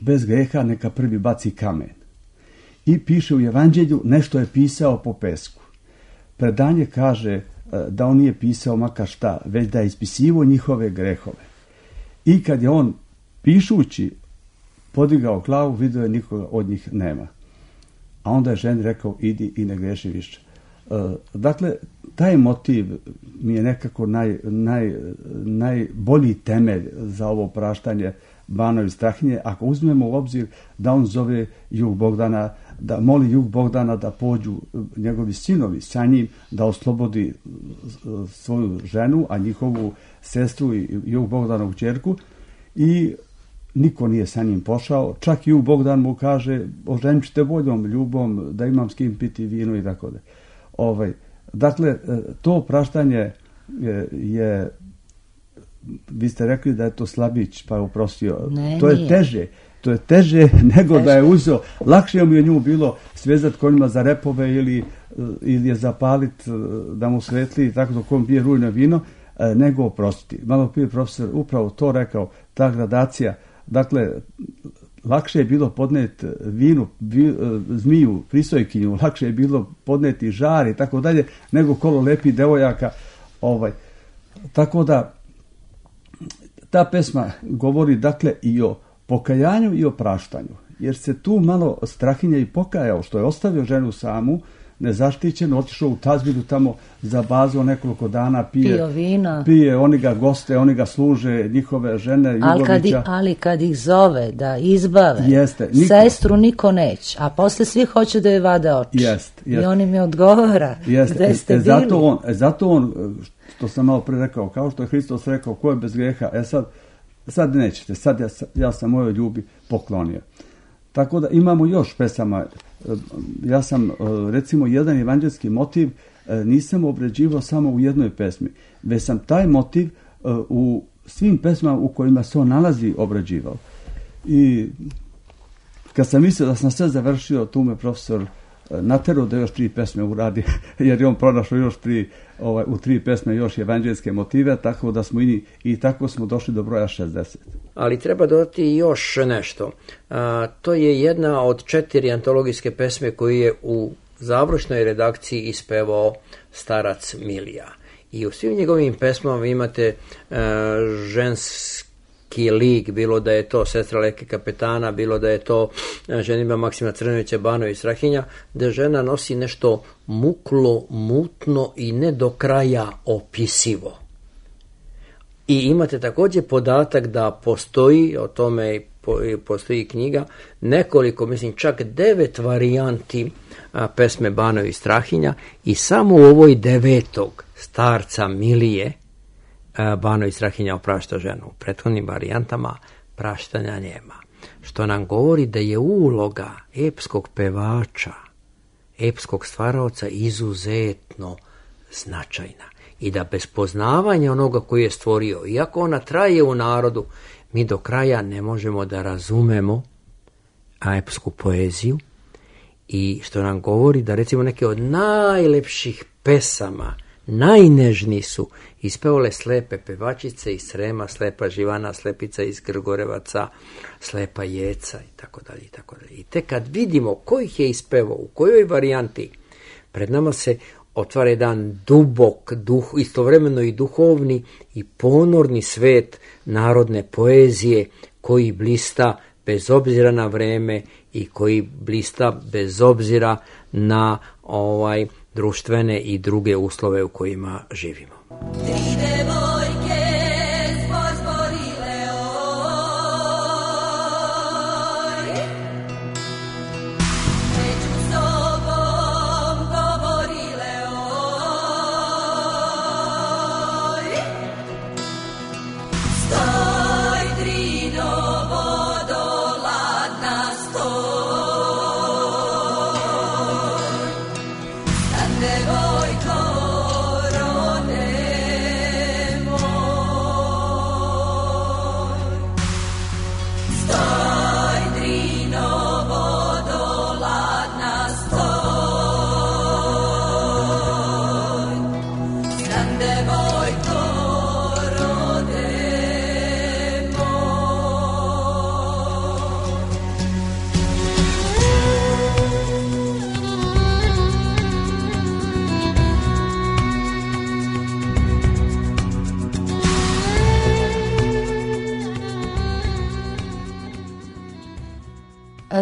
bez greha, neka prvi baci kamen. I piše u Evanđelju, nešto je pisao po pesku. Predanje kaže da on nije pisao makar šta, već da je ispisivo njihove grehove. I kad je on, pišući, podigao glavu, vidio je nikoga od njih nema. A onda je ženi rekao: idi i ne greši više. E, dakle, taj motiv mi je nekako naj, naj, najbolji temelj za ovo praštanje Banovi Strahinje, ako uzmemo u obzir da on zove Jug Bogdana, da moli Jug Bogdana da pođu njegovi sinovi sa njim, da oslobodi svoju ženu, a njihovu sestru i Jug Bogdanovu ćerku, i niko nije sa njim pošao. Čak i Jug Bogdan mu kaže: oženit ću te voljom, ljubom, da imam s kim piti vino i tako da. Ovaj, dakle, to praštanje je, je, vi ste rekli da je to slabić, pa je oprostio. Ne, to je nije. teže. To je teže nego teže. Da je uzeo. Lakše mi je nju bilo svezati konjima za repove ili, ili je zapaliti da mu svetli, tako da kom pije rujno vino, nego oprostiti. Malo prije profesor upravo to rekao, ta gradacija. Dakle, lakše je bilo podneti vinu, vi, zmiju, prisojkinju, lakše je bilo podneti žar i tako dalje, nego kolo lepih devojaka. Ovaj. Tako da, ta pesma govori dakle i o pokajanju i o praštanju, jer se tu malo Strahinja i pokajao što je ostavio ženu samu, nezaštićeno, otišao u tazbinu tamo za bazu nekoliko dana, pije, pije, oni ga goste, oni ga služe, njihove žene, Jugovića. Ali kad, ih, ali kad ih zove da izbave, jeste, niko, sestru niko neće, a posle svi hoće da je vade oči. Jest, jest. I on im je odgovara, jest, gde ste e, bili. Zato on, zato on, što sam malo pre rekao, kao što je Hristos rekao, ko je bez grijeha, e sad, sad nećete, sad ja, ja sam mojoj ljubi poklonio. Tako da imamo još pesama. Ja sam, recimo, jedan evanđelski motiv nisam obrađivao samo u jednoj pesmi, već sam taj motiv u svim pesmama u kojima se on nalazi obrađivao. I kad sam mislio da sam sve završio, tu me profesor naterao da još tri pesme uradi, jer je on pronašao još tri, ovaj, u tri pesme još evanđelske motive, tako da smo i, i tako smo došli do broja šezdeset. Ali treba dodati još nešto. A, to je jedna od četiri antologijske pesme koju je u završnoj redakciji ispevao starac Milija. I u svim njegovim pesmama imate uh, ženski lik, bilo da je to Sestra Leke kapetana, bilo da je to ženidba Maksima Crnovića, Banović Strahinja, da žena nosi nešto muklo, mutno i ne do kraja opisivo. I imate također podatak da postoji, o tome postoji knjiga, nekoliko, mislim čak devet varijanti a, pesme Banović Strahinja i samo u ovoj devetog starca Milije a, Banović Strahinja oprašta ženu. U prethodnim varijantama praštanja nema. Što nam govori da je uloga epskog pevača, epskog stvaraoca izuzetno značajna. I da bez poznavanja onoga koji je stvorio, iako ona traje u narodu, mi do kraja ne možemo da razumemo epsku poeziju, i što nam govori da recimo neke od najlepših pesama, najnežniji su ispevale slepe pevačice iz Srema, slepa Živana, slepica iz Grgorevaca, slepa Jeca i tako dalje i tako dalje. I tek kad vidimo ko ih je ispevao, u kojoj varijanti, pred nama se otvara jedan dubok, duh, istovremeno i duhovni i ponorni svet narodne poezije koji blista bez obzira na vreme i koji blista bez obzira na ovaj društvene i druge uslove u kojima živimo.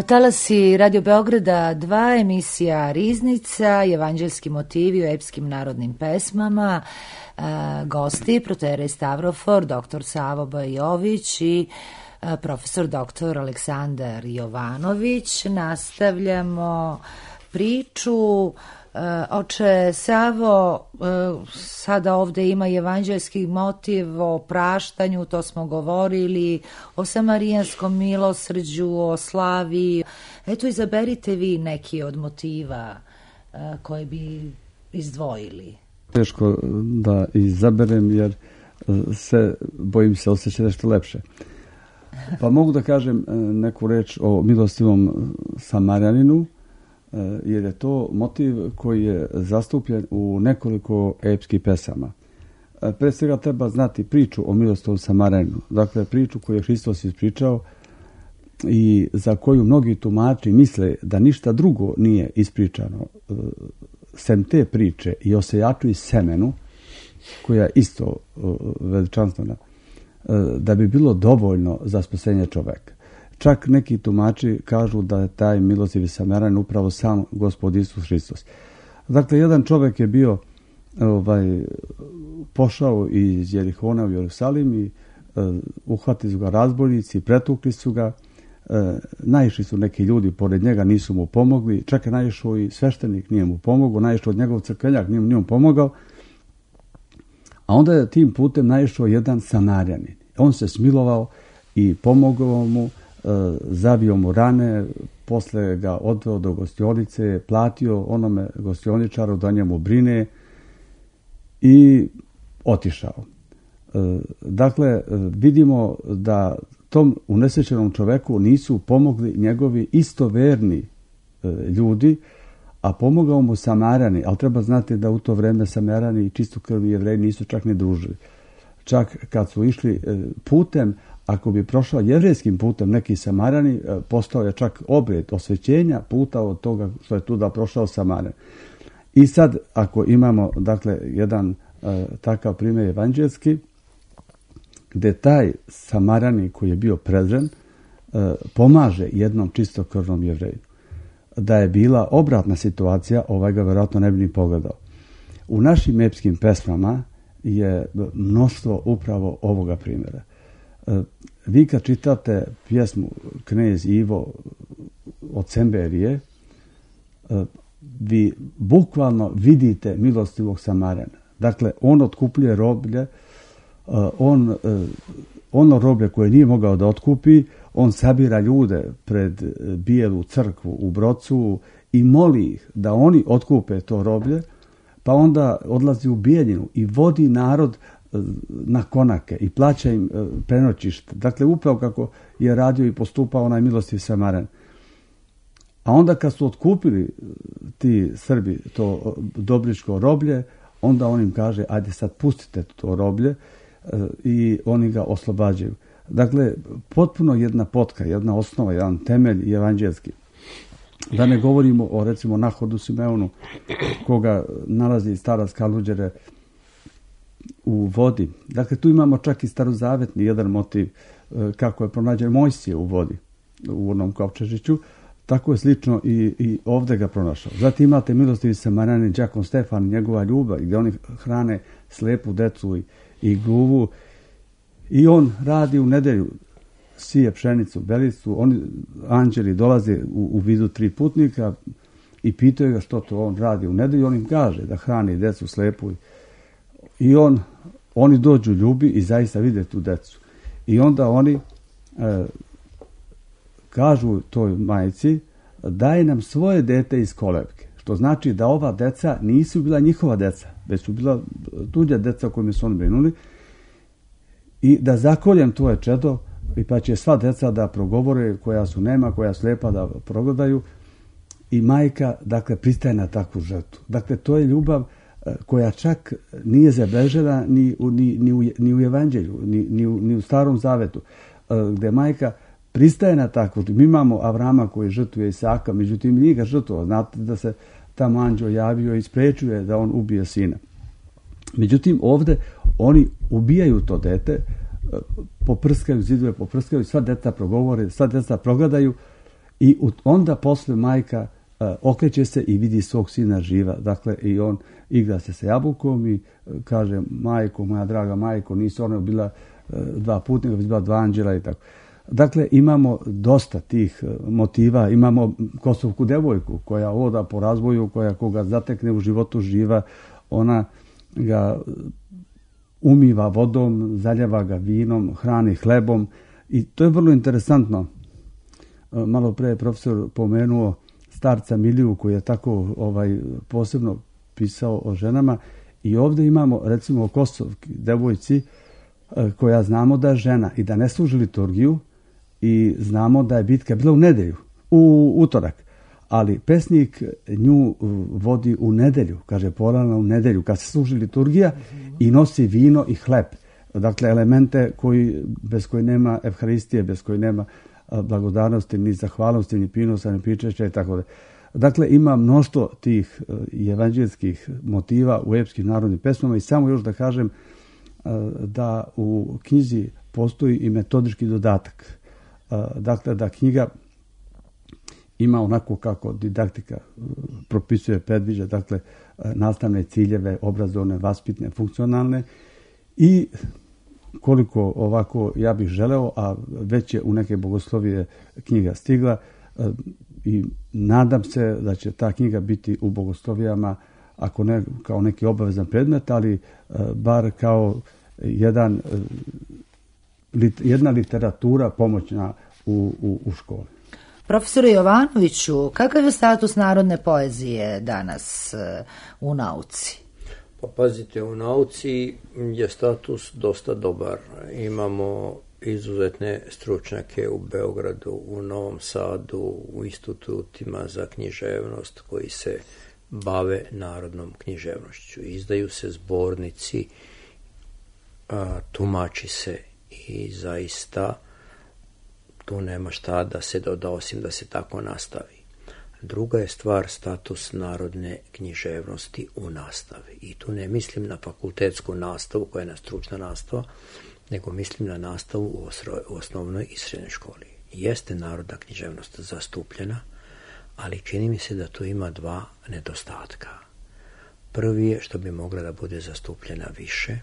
Talasi Radio Beograda dva, emisija Riznica, evanđelski motivi u epskim narodnim pesmama, e, gosti proterej Stavrofor, doktor Savo Bajović i e, profesor doktor Aleksandar Jovanović. Nastavljamo priču. Oče Savo, sada ovde ima evanđelski motiv o praštanju, to smo govorili, o samarijanskom milosrđu, o slavi. Eto, izaberite vi neki od motiva koje bi izdvojili. Teško da izaberem jer se bojim se osjeća nešto lepše. Pa mogu da kažem neku reč o milostivom Samarijaninu, jer je to motiv koji je zastupljen u nekoliko epskih pesama. Pre svega treba znati priču o milostivom Samarijaninu, dakle priču koju je Hristos ispričao i za koju mnogi tumači misle da ništa drugo nije ispričano sem te priče i o sejaču i semenu, koja je isto veličanstvena, da bi bilo dovoljno za spasenje čoveka. Čak neki tumači kažu da je taj milostivi Samarijanin upravo sam Gospod Isus Hristos. Dakle, jedan čovjek je bio ovaj, pošao iz Jerihona u Jerusalim i uh, uhvatili su ga razbojnici, pretukli su ga, uh, naišli su neki ljudi pored njega, nisu mu pomogli, čak je naišao i sveštenik, nije mu pomogao, naišao od njegov crkveljak, nije, nije mu pomogao, a onda je tim putem naišao jedan Samarijanin. On se smilovao i pomogao mu, zavio mu rane, posle ga odveo do gostionice, platio onome gostioničaru da njemu brine i otišao. Dakle, vidimo da tom unesrećenom čoveku nisu pomogli njegovi istoverni ljudi, a pomogao mu Samarjani, ali treba znati da u to vreme Samarjani i čistokrvni Jevreji nisu čak ni družili. Čak kad su išli putem, ako bi prošao jevrejskim putem neki Samarjani, postao je čak obred osvećenja puta od toga što je tu da prošao Samarjan. I sad, ako imamo, dakle, jedan takav primjer evanđelski, gdje taj Samaranin koji je bio prezren pomaže jednom čistokrvnom Jevreju. Da je bila obratna situacija, ovaj ga vjerojatno ne bi ni pogledao. U našim epskim pesmama je mnoštvo upravo ovoga primjera. Vi kad čitate pjesmu Knez Ivo od Semberije, vi bukvalno vidite milostivog Samarena. Dakle, on otkupljuje roblje, on, ono roblje koje nije mogao da otkupi, on sabira ljude pred Bijelu crkvu u Brocu i moli ih da oni otkupe to roblje, pa onda odlazi u Bijeljinu i vodi narod na konake i plaća im prenoćište. Dakle, upravo kako je radio i postupao onaj milostiv Samaren. A onda kad su otkupili ti Srbi to dobričko roblje, onda on im kaže, ajde sad pustite to roblje i oni ga oslobađaju. Dakle, potpuno jedna potka, jedna osnova, jedan temelj evanđelski. Da ne govorimo o, recimo, Nahodu Simeonu, koga nalazi stara Skaluđere u vodi. Dakle, tu imamo čak i starozavetni jedan motiv kako je pronađen Mojsije u vodi, u onom kovčežiću. Tako je slično i, i ovdje ga pronašao. Zatim imate milostivi Samaranin, Đakon Stefan, njegova ljubav, gdje oni hrane slepu decu i, i gluvu. I on radi u nedelju, sije pšenicu, belicu, oni anđeli dolaze u, u vidu tri putnika i pitaju ga što to on radi u nedelju. On im kaže da hrani decu slepu. I on, oni dođu ljubi i zaista vide tu decu. I onda oni e, kažu toj majci, daj nam svoje dete iz kolevke. Što znači da ova deca nisu bila njihova deca, već su bila tuđa deca kojima su oni brinuli. I da zakoljem tvoje čedo, i pa će sva deca da progovore koja su nema, koja su lijepa da progledaju. I majka, dakle, pristaje na takvu žrtvu. Dakle, to je ljubav koja čak nije zabeležena ni u, ni, ni u, ni u evanđelju, ni, ni, u, ni u Starom Zavetu, gdje majka pristaje na takvu. Mi imamo Avrama koji žrtvuje Isaka, međutim nije ga žrtvovao. Znate da se tamo anđeo javio i sprečuje da on ubije sina. Međutim, ovdje oni ubijaju to dete, poprskaju zidove, poprskaju, sva deca progovore, sva deca progledaju i onda posle majka okreće se i vidi svog sina živa. Dakle, i on igra se sa jabukom i kaže, majko, moja draga majko, nisu one bila dva putnika, već bila dva anđela i tako. Dakle, imamo dosta tih motiva. Imamo kosovku devojku koja oda po razvoju, koja koga zatekne u životu živa, ona ga umiva vodom, zaljeva ga vinom, hrani hlebom i to je vrlo interesantno. Malo pre je profesor pomenuo starca Miliju koji je tako ovaj posebno pisao o ženama i ovdje imamo recimo o kosovki devojci koja znamo da je žena i da ne služi liturgiju i znamo da je bitka bila u nedelju, u utorak. Ali pesnik nju vodi u nedelju, kaže porana u nedelju, kad se služi liturgija i nosi vino i hleb. Dakle, elemente koji, bez koji nema evharistije, bez koji nema blagodarnosti, ni zahvalnosti, ni pinosa, ni pričešća i tako da. Dakle, ima mnoštvo tih evanđelskih motiva u epskim narodnim pesmama i samo još da kažem da u knjizi postoji i metodički dodatak. Dakle, da knjiga ima onako kako didaktika propisuje, predviđa, dakle, nastavne ciljeve, obrazovne, vaspitne, funkcionalne i koliko ovako ja bih želeo, a već je u neke bogoslovije knjiga stigla i nadam se da će ta knjiga biti u bogoslovijama, ako ne kao neki obavezan predmet, ali bar kao jedan, jedna literatura pomoćna u, u, u školi. Profesore Jovanoviću, kakav je status narodne poezije danas u nauci? Pa pazite, u nauci je status dosta dobar. Imamo izuzetne stručnjake u Beogradu, u Novom Sadu, u institutima za književnost koji se bave narodnom književnošću. Izdaju se zbornici, a, tumači se i zaista tu nema šta da se doda osim da se tako nastavi. Druga je stvar status narodne književnosti u nastavi. I tu ne mislim na fakultetsku nastavu koja je na stručna nastava, nego mislim na nastavu u osnovnoj i srednjoj školi. Jeste narodna književnost zastupljena, ali čini mi se da tu ima dva nedostatka. Prvi je što bi mogla da bude zastupljena više,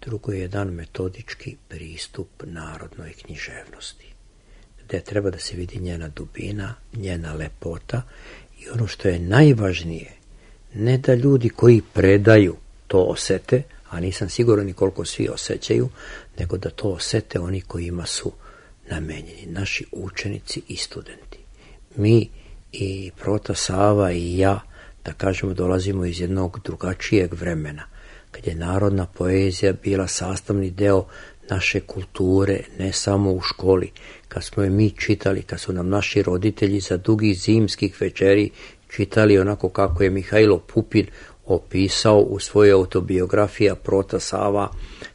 drugo je jedan metodički pristup narodnoj književnosti, gdje treba da se vidi njena dubina, njena lepota i ono što je najvažnije, ne da ljudi koji predaju to osete, a nisam siguran ni koliko svi osjećaju, nego da to osete oni kojima su namenjeni, naši učenici i studenti. Mi i Prota Sava i ja, da kažemo, dolazimo iz jednog drugačijeg vremena, kad je narodna poezija bila sastavni deo naše kulture, ne samo u školi, kad smo je mi čitali, kad su nam naši roditelji za dugih zimskih večeri čitali onako kako je Mihajlo Pupin opisao u svojoj autobiografiji Prota Sava,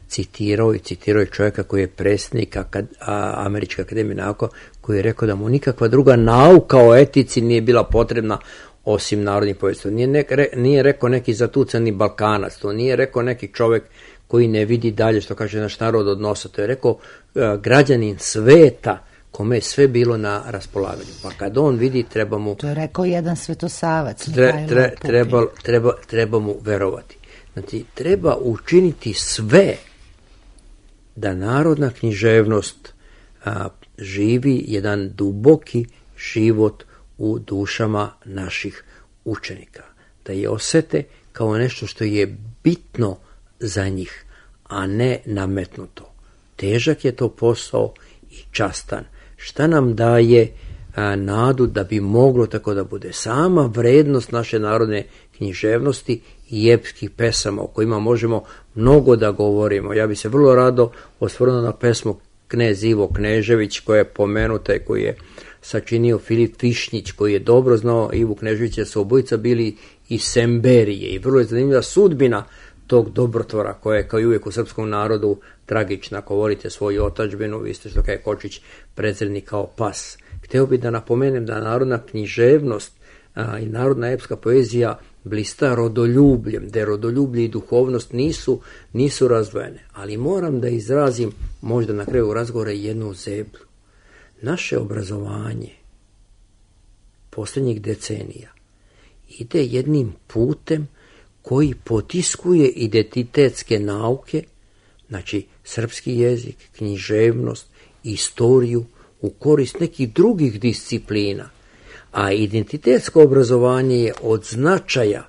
citirao i citirao je čovjeka koji je predsjednik akad, a, Američke akademije nauka, koji je rekao da mu nikakva druga nauka o etici nije bila potrebna osim narodnih povijesti. Nije, ne, nije rekao neki zatucani Balkanac, to nije rekao neki čovjek koji ne vidi dalje, što kaže naš narod od nosa, to je rekao uh, građanin sveta kome je sve bilo na raspolaganju. Pa kad on vidi, treba mu... To je rekao jedan svetosavac. Tre, tre, treba, treba, treba mu verovati. Znači, treba učiniti sve da narodna književnost a, živi jedan duboki život u dušama naših učenika. Da je osete kao nešto što je bitno za njih, a ne nametnuto. Težak je to posao i častan. Šta nam daje a, nadu da bi moglo tako da bude? Sama vrednost naše narodne književnosti i epskih pesama o kojima možemo mnogo da govorimo. Ja bi se vrlo rado osvrnuo na pesmu Knez Ivo Knežević koja je pomenuta i koji je sačinio Filip Višnjić, koji je dobro znao Ivu Kneževića, jer su obojica bili iz Semberije i vrlo je zanimljiva sudbina tog dobrotvora koja je kao i uvijek u srpskom narodu tragična. Ako volite svoju otadžbinu, vi ste što kaj Kočić prezrednik kao pas. Hteo bih da napomenem da narodna književnost a, i narodna epska poezija blista rodoljubljem, da rodoljublje i duhovnost nisu, nisu razdvojene. Ali moram da izrazim možda na kraju razgovora jednu zeblu. Naše obrazovanje posljednjih decenija ide jednim putem koji potiskuje identitetske nauke, znači srpski jezik, književnost, istoriju u korist nekih drugih disciplina. A identitetsko obrazovanje je od značaja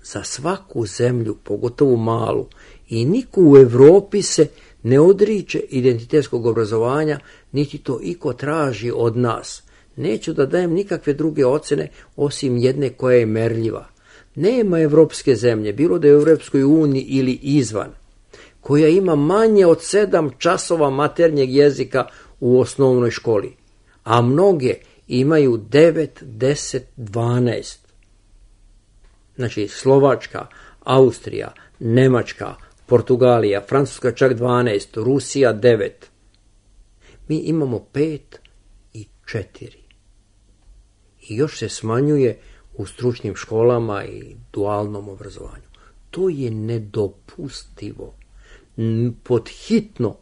za svaku zemlju, pogotovo malu, i niko u Evropi se ne odriče identitetskog obrazovanja, niti to iko traži od nas. Neću da dajem nikakve druge ocene osim jedne koja je merljiva. Nema evropske zemlje, bilo da je u Evropskoj uniji ili izvan, koja ima manje od sedam časova maternjeg jezika u osnovnoj školi, a mnoge imaju devet, deset, dvanaest. Znači Slovačka, Austrija, Nemačka, Portugalija, Francuska čak dvanaest, Rusija devet. Mi imamo pet i četiri. I još se smanjuje u stručnim školama i dualnom obrazovanju. To je nedopustivo. Podhitno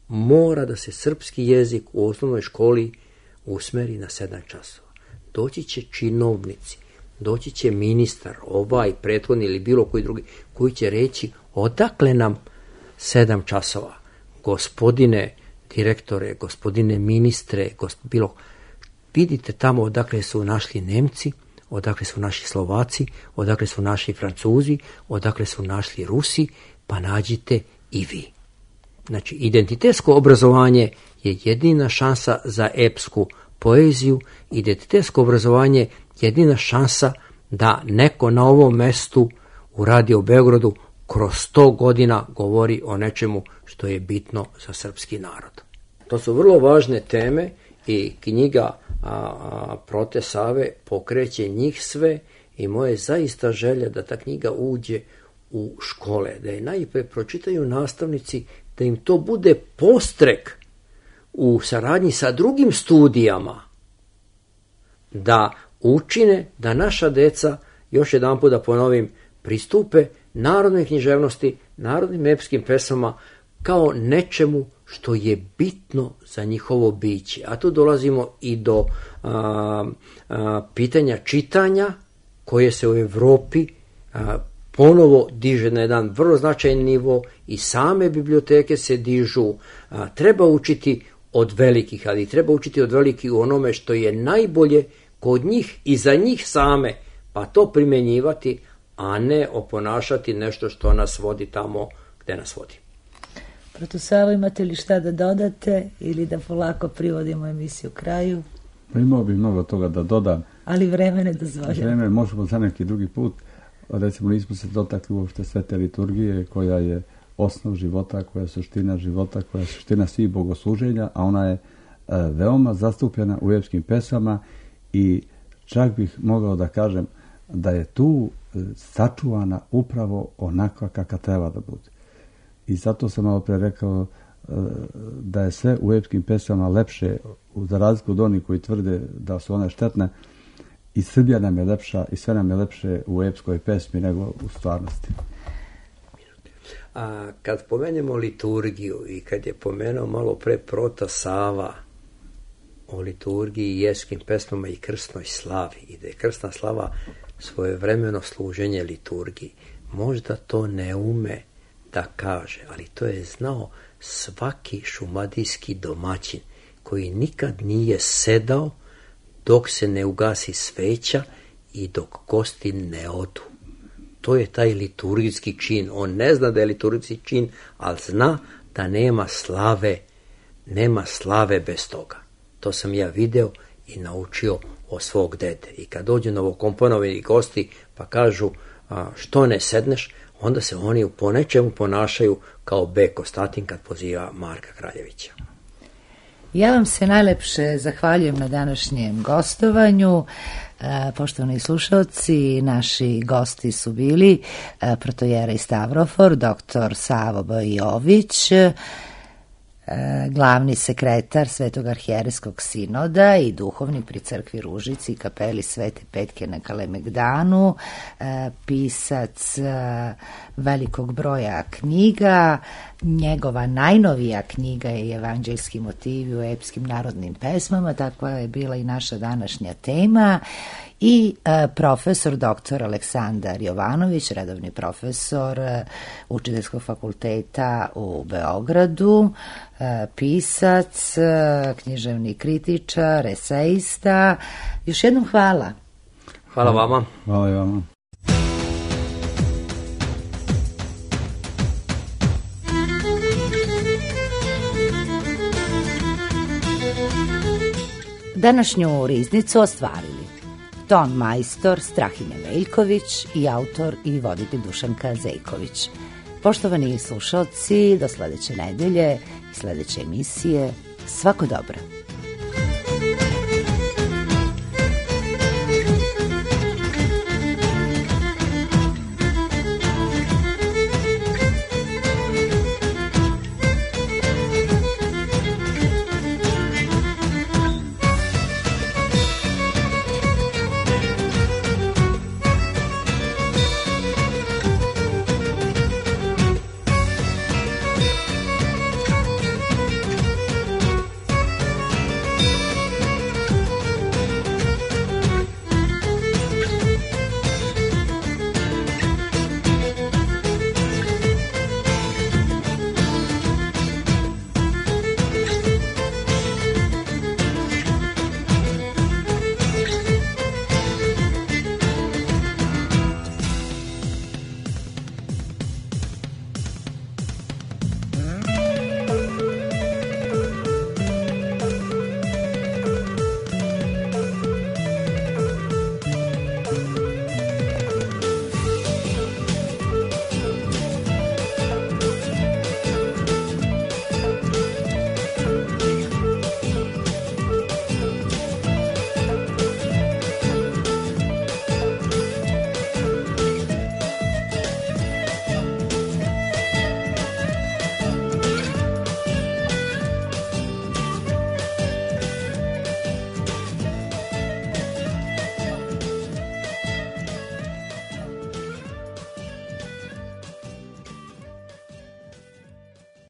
mora da se srpski jezik u osnovnoj školi usmeri na sedam časova. Doći će činovnici, doći će ministar, ovaj, prethodni ili bilo koji drugi, koji će reći odakle nam sedam časova. Gospodine direktore, gospodine ministre, gosp... bilo, vidite tamo odakle su našli Nemci, odakle su naši Slovaci, odakle su naši Francuzi, odakle su našli Rusi, pa nađite i vi. Znači, identitetsko obrazovanje je jedina šansa za epsku poeziju, identitetsko obrazovanje je jedina šansa da neko na ovom mestu u Radio Beogradu kroz sto godina govori o nečemu što je bitno za srpski narod. To su vrlo važne teme i knjiga a, a, Prote Save pokreće njih sve i moje zaista želja da ta knjiga uđe u škole, da je najprije pročitaju nastavnici, da im to bude postrek u saradnji sa drugim studijama, da učine da naša deca, još jedan put da ponovim, pristupe narodnoj književnosti, narodnim epskim pesama kao nečemu što je bitno za njihovo biće. A tu dolazimo i do a, a, pitanja čitanja koje se u Evropi a, ponovo diže na jedan vrlo značajan nivo i same biblioteke se dižu. A, treba učiti od velikih, ali treba učiti od velikih u onome što je najbolje kod njih i za njih same, pa to primjenjivati, a ne oponašati nešto što nas vodi tamo gde nas vodi. Proto Savo, imate li šta da dodate ili da polako privodimo emisiju kraju? Pa imao bi mnogo toga da dodam. Ali vreme ne dozvoljava. Vreme možemo za neki drugi put. Recimo, nismo se dotakli uopšte svete liturgije koja je osnov života, koja je suština života, koja je suština svih bogosluženja, a ona je e, veoma zastupljena u epskim pesama i čak bih mogao da kažem da je tu e, sačuvana upravo onakva kakva treba da bude. I zato sam malo pre rekao e, da je sve u epskim pesama lepše, za razliku od onih koji tvrde da su one štetne. I Srbija nam je lepša i sve nam je lepše u epskoj pesmi nego u stvarnosti. A kad pomenemo liturgiju i kad je pomenuo malo pre prota Sava o liturgiji i epskim pesmama i krstnoj slavi i da je krstna slava svojevremeno služenje liturgiji, možda to ne ume da kaže, ali to je znao svaki šumadijski domaćin koji nikad nije sedao dok se ne ugasi sveća i dok gosti ne odu. To je taj liturgijski čin. On ne zna da je liturgijski čin, ali zna da nema slave, nema slave bez toga. To sam ja video i naučio od svog dede. I kad dođu novokomponovani gosti pa kažu a, što ne sedneš, onda se oni po nečemu ponašaju kao Beko Statin kad poziva Marka Kraljevića. Ja vam se najlepše zahvaljujem na današnjem gostovanju. E, poštovani slušalci, naši gosti su bili e, protojerej Stavrofor, doktor Savo B. Jović, e, glavni sekretar Svetog arhijerejskog sinoda i duhovni pri crkvi Ružici i kapeli Svete Petke na Kalemegdanu, e, pisac e, velikog broja knjiga. Njegova najnovija knjiga je Evanđeljski motivi u epskim narodnim pesmama, takva je bila i naša današnja tema. I e, profesor doktor Aleksandar Jovanović, redovni profesor e, Učiteljskog fakulteta u Beogradu, e, pisac, e, književni kritičar, esejista. Još jednom hvala. Hvala vama. Hvala i vama. Današnju riznicu ostvarili ton majstor Strahimir Veljković i autor i voditelj Dušanka Zejković. Poštovani slušalci, do sledeće nedelje i sledeće emisije, svako dobro.